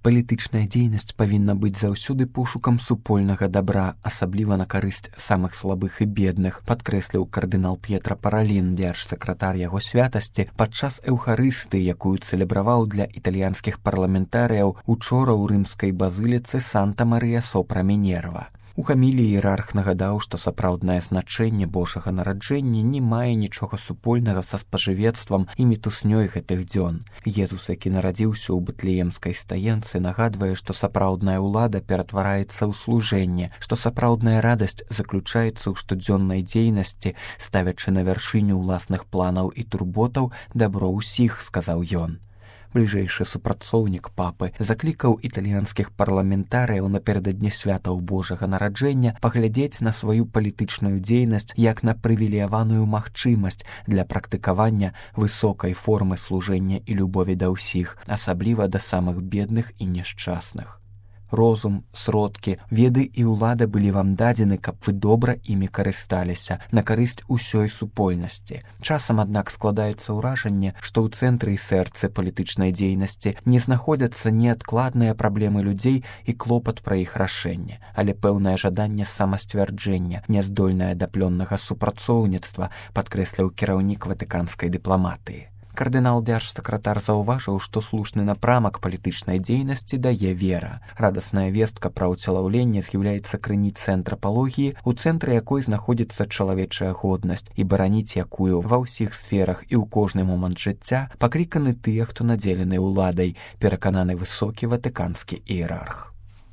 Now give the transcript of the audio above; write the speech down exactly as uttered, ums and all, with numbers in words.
Палітычная дзейнасць павінна быць заўсёды пошукам супольнага дабра, асабліва на карысць самых слабых і бедных, падкрэсліў кардынал П'етра Паралін, дзяржсакратар яго святасці, падчас эўхарысты, якую цэлебраваў для італьянскіх парламентарыяў учора ў рымскай базыліцы Санта-Марыя сопра Мінерва. У гаміліі іерарх нагадаў, што сапраўднае значэнне Божага нараджэння не мае нічога супольнага са спажывецтвам і мітуснёй гэтых дзён. Езус, які нарадзіўся ў Бэтлеемскай стаенцы, нагадвае, што сапраўдная ўлада ператвараецца ў служэнне, што сапраўдная радасць заключаецца ў штодзённай дзейнасці, ставячы на вяршыню ўласных планаў і турботаў дабро ўсіх, сказаў ён. Бліжэйшы супрацоўнік папы заклікаў італьянскіх парламентарыяў напярэдадні святаў Божага нараджэння паглядзець на сваю палітычную дзейнасць як на прывілеяваную магчымасць для практыкавання высокай формы служэння і любові да ўсіх, асабліва да самых бедных і няшчасных. Розум, сродкі, веды і ўлада былі вам дадзены, каб вы добра імі карысталіся, на карысць усёй супольнасці. Часам, аднак, складаецца ўражанне, што ў цэнтры і сэрцы палітычнай дзейнасці не знаходзяцца неадкладныя праблемы людзей і клопат пра іх рашэнне, але пэўнае жаданне самасцвярджэння, няздольнае да плённага супрацоўніцтва, падкрэсліў кіраўнік ватыканскай дыпламатыі. Кардынал дзяржсакратар заўважыў, што слушны напрамак палітычнай дзейнасці дае вера. Радасная вестка пра ўцелаўленне з'яўляецца крыніцай антрапалогіі, у цэнтры якой знаходзіцца чалавечая годнасць, і бараніць якую ва ўсіх сферах і ў кожны момант жыцця пакліканы тыя, хто надзелены ўладай, перакананы высокі ватыканскі іерарх.